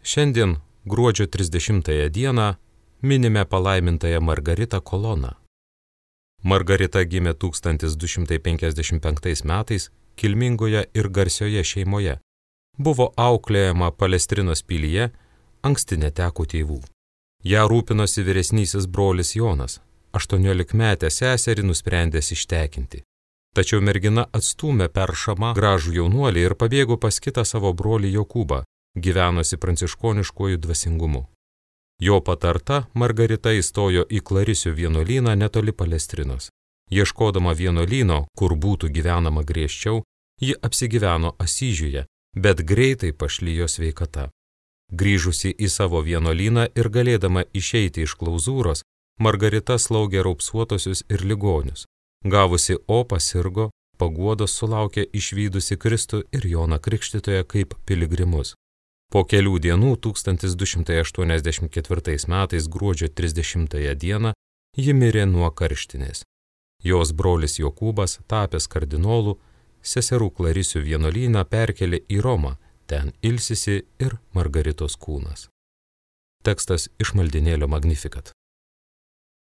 Šiandien, gruodžio 30 dieną, minime palaimintąją Margaritą Koloną. Margarita gimė 1255 metais kilmingoje ir garsioje šeimoje. Buvo auklėjama Palestrinos pilyje, anksti neteko tėvų. Ją rūpinosi vyresnysis brolis Jonas, 18-metę seserį nusprendęs ištekinti. Tačiau mergina atstūmė peršamą gražų jaunuolį ir pabėgo pas kitą savo brolį Jokūbą, gyvenosi pranciškoniškuoju dvasingumu. Jo patarta Margarita įstojo į Klarisių vienuolyną netoli Palestrinos. Ieškodama vienuolyno, kur būtų gyvenama griežčiau, ji apsigyveno Asyžiuje, bet greitai pašlijo sveikata. Grįžusi į savo vienuolyną ir galėdama išeiti iš klauzūros, Margarita slaugė raupsuotosius ir ligonius. Gavusi opą sirgo, paguodos sulaukė išvydusi Kristų ir Joną Krikštytoją kaip piligrimus. Po kelių dienų 1284 metais gruodžio 30 dieną ji mirė nuo karštinės. Jos brolis Jokūbas, tapęs kardinolu, seserų Klarisių vienuolyną perkelė į Romą, ten ilsisi ir Margaritos kūnas. Tekstas iš maldynėlio Magnificat.